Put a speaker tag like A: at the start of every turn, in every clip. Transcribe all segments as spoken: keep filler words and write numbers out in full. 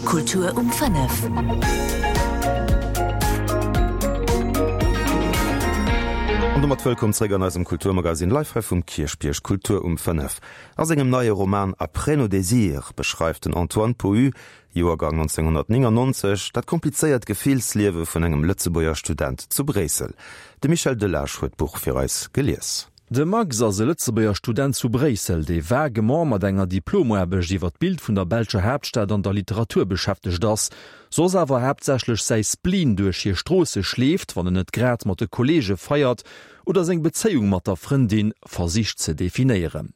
A: Kultur um fënnef.
B: An domat wëllkomm zréck an eisem Kulturmagazin live hei vum Kierchbierg Kultur um fënnef. A sengem neie Roman Après nos désirs beschreift den Antoine Pohu, Joergang nonzénghonnertnéngannonzeg, dat komplizéiert Gefillsliewe vun engem Lëtzebuerger Student zu Bréissel. De Michel Delage huet d'Buch fir eis gelies.
C: De Max ass e Lëtzebuerger Student zu Bréissel, dee vaguement mat enger Diplomaarbecht iwwer d'Bild vun der belscher Haaptstad an der Literatur beschäftegt ass, soss awer haaptsächlech säi Spleen duerch hir Stroosse schleeft, wann en net grad mat de Kolleege feiert oder seng Bezéiung mat der Frëndin versicht ze definéieren.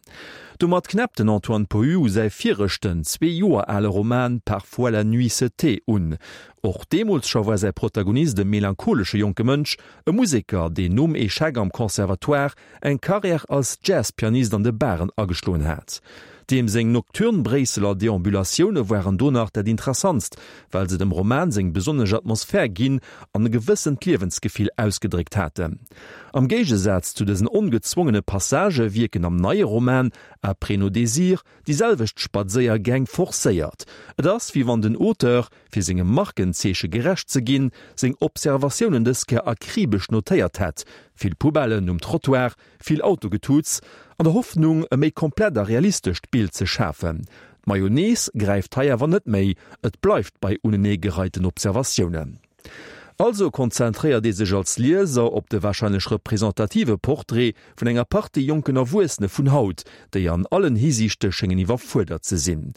C: Domat knäppt den Antoine Pohu u säi viregten, zwee Joer ale Roman Parfois la nuit se tait un. Och deemools scho war säi Protagonist e melancholesche jonke Mënsch, e Museker, deen nom Echec am Conservatoire eng Karriär als Jazz-Pianist an de Baren ageschloen hat. Deem seng nocturn Bréisseler Deambulatioune waren do nach dat Interessantst, well se dem Roman seng besonnesch Atmosphär ginn an e gewëssent Liewensgefill ausgedréckt haten. Am Géigesaz zu dësen ongezwongene Passagë wierken am neie Roman Après nos désirs déi selwecht Spadséiergäng forcéiert. Et ass, wéi wann den Auteur, fir sengem Markenzeeche gerecht ze ginn, seng Observatiounen dës Kéier akribesch notéiert hätt, vill Poubellen um Trottoir, vill Autogetuuts, an der Hoffnung, e méi komplett a realistescht Bild ze schafen. D'Mayonnaise gräift hei awer net méi, et bleift bei uneneegereiten Observatiounen. Also konzentréiert ee sech als Lieser op de warscheinlech representative Portrait vun enger Partie jonken Erwuessene vun haut, déi an allen Hisiichte schéngen iwwerfuerdert ze sinn.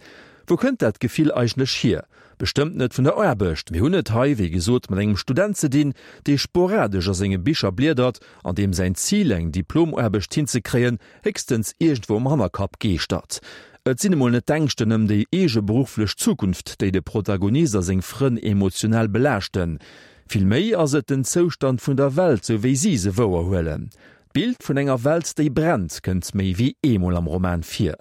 C: Wou kënnt dat Gefill eigentlech hier? Bestëmmt net vun der Aarbecht. Mir hunn et hei, wéi gesot, mat engem Student ze dinn, dee sporadesch a senge Bicher bliedert an deem säin Zil, eng Diplomaarbecht hinzekréien, héchstens iergendwou am Hannerkapp geeschtert. Et sinn emol net d'Ängschten ëm déi eege berufflech Zukunft, déi de Protagonist a seng Frënn emotional belaaschten. Vill méi ass et den Zoustand vun der Welt, sou wéi si se wouerhuelen. D'Bild vun enger Welt, déi brennt, kënnt méi wéi eemol am Roman vir.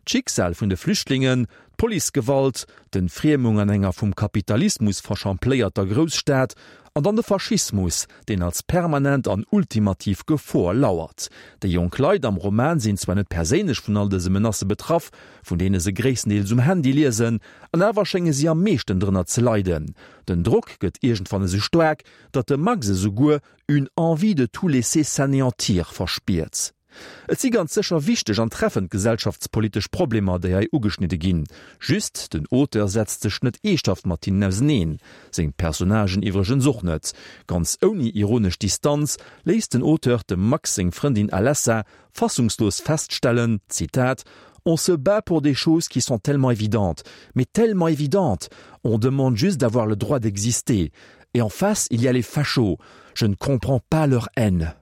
C: D'Schicksal vun de Flüchtlingen, d'Policegewalt, d'Entfriemung an enger vum Kapitalismus verschampléierter Grousstad an dann de Faschismus, deen als permanent an ultimativ Gefor lauert. Déi jonk Leit am Roman sinn zwar net perséinlech vun all dëse Menacë betraff, vun deene se gréisstendeels um Handy liesen, an awer schénge si am meeschten drënner ze leiden. Den Drock gëtt iergendwann esou staark, datt de Max esouguer une envie de tout laisser s'anéantir verspiert. Et si ganz sécher wichteg an treffend gesellschaftspolitesch Problemer, déi hei ugeschnidde ginn. Just, den Auteur setzt sech net eeschthaft mat hinnen auseneen. Seng Personnagen iwwregens och net. Ganz ouni ironesch Distanz léisst den Auteur dem Max seng Frëndin Alessa fassungslos feststellen, Zitat, On se bat pour des choses qui sont tellement évidentes, mais tellement évidentes. On demande juste d'avoir le droit d'exister. Et en face, il y a les fachos. Je ne comprends pas leur haine.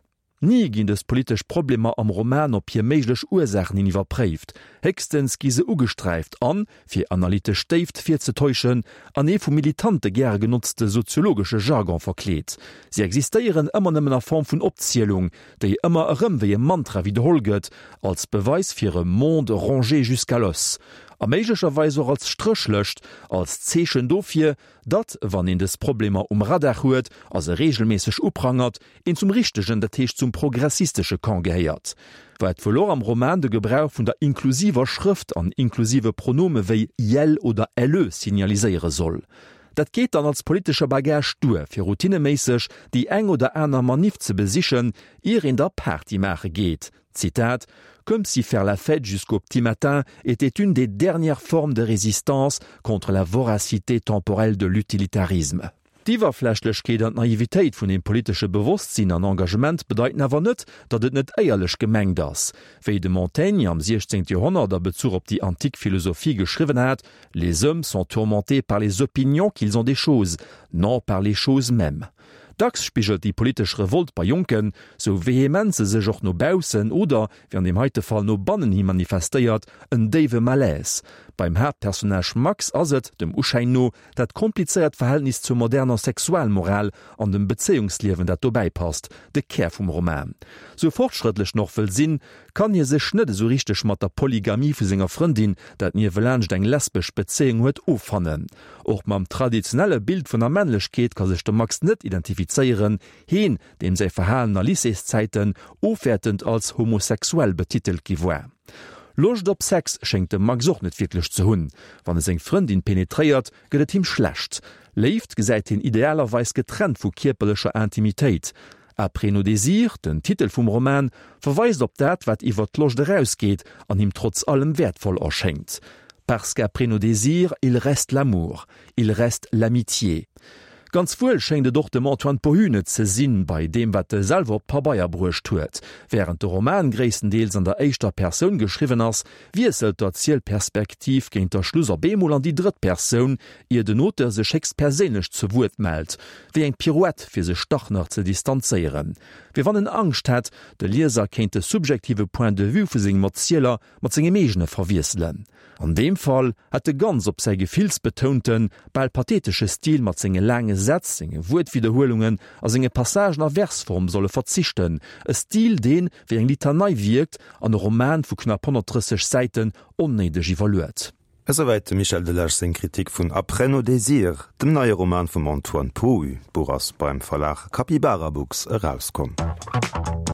C: Ni ginn dës politesch Problemer am Roman op hir méiglech Ursaachen hin iwwerpréift, héchstens gi se ugesträift an, fir analytesch Déift virzetäuschen, an ee vu Militante gäre genotzte soziologesche Jargon verkleet. Si existéieren ëmmer nëmmen a Form vun Opzielung, déi ëmmer erëm wéi e Mantra widderholl gëtt, als Beweis fir e monde rongé jusqu'à l'os. A méiglecherweis och als Stréchlëscht, als Zeechen dofir, datt, wann een dës Problemer um Radar huet a se reegelméisseg uprangert, een zum richtegen, dat heescht zum progressistesche Camp gehéiert. Wat wuel och am Roman de Gebrauch vun der inklusiver Schrëft an inklusive Pronome wéi iel oder elle signaliséiere soll. Dat geet dann als politesche Bagage duer, fir routineméisseg déi eng oder aner Maniff ze besichen, ier een da Party maache geet. Zitat, Comme si faire la fête jusqu'au petit matin était une des dernières formes de résistance contre la voracité temporelle de l'utilitarisme. D'Iwwerflächlechkeet an d'Naivitéit vun deem politesche Bewosstsinn an Engagement bedeiten awer net, datt et net éierlech gemengt ass. Wéi de Montaigne am siechzéngte Joerhonnert a Bezuch op déi antik Philosophie geschriwwen hat, Les hommes sont tourmentés par les opinions qu'ils ont des choses, non par les choses mêmes. Dacks spigelt déi politesch Revolt bei Jonken, sou vehement se sech och no baussen oder, wéi an deem heite Fall, no bannen hi manifestéiert, en déiwe Malaise. Beim Haaptpersonnage Max ass et, dem Uschäin no, dat komplizéiert Verhältnis zur moderner Sexualmoral an dem Bezéiungsliewen, dat dobäi passt, de Kär vum Roman. Sou fortschrëttlech en och wëll sinn, kann hie sech net esou richteg mat der Polygamie vu senger Frëndin, dat niewelaanscht eng lesbesch Bezéiung huet, offannen. Och mam traditionelle Bild vun der Männlechkeet ka sech de Max net identifizéieren, heen, deem säi Verhalen a Lycéeszäiten ofwäertend als homosexuell betitelt gi war. Loscht op Sex schéngt de Max och net wierklech ze hunn. Wann e seng Frëndin penetréiert, gëtt et him schlecht. Léift gesäit hien idealerweis getrennt vu kierperlecher Intimitéit. Après nos désirs, den Titel vum Roman, verweist op dat, wat iwwer d'Loscht erausgeet an him trotz allem wäertvoll erschéngt. Parce qu'après nos désirs, il reste l'amour, il reste l'amitié. Ganz wuel schéngt et och dem Antoine Pohu net ze sinn, bei deem wat e selwer op d'Pabeier bruecht huet. Wärend de Roman gréisstendeels an der éischter Persoun geschriwwen ass, wiesselt d'Erzielperspektiv géint der Schluss op eemol an déi drëtt Persoun, ier den Auteur sech héchstperséinlech zu Wuert mellt, wéi eng Pirouette fir sech dach nach ze distanzéieren. Wéi wann en Angscht hätt, de Lieser kéint de subjektive Point de vue vu sengem Erzieler mat sengem eegene verwiesselen. An deem Fall hätt e ganz op säi gefillsbetounten, bal pathetesche Stil mat senge laange Sätz, senge Wuertwidderhuelungen a senge Passagen a Versform solle verzichten, e Stil, deen wéi eng Litanei wierkt an e Roman vu knapp honnertdrësseg Säiten onnéideg iwwerluet.
B: Esouwäit dem Michel Delage seng Kritik vun Après nos désirs, dem neie Roman vum Antoine Pohu. D'Buch ass beim Verlag Capybarabooks erauskomm.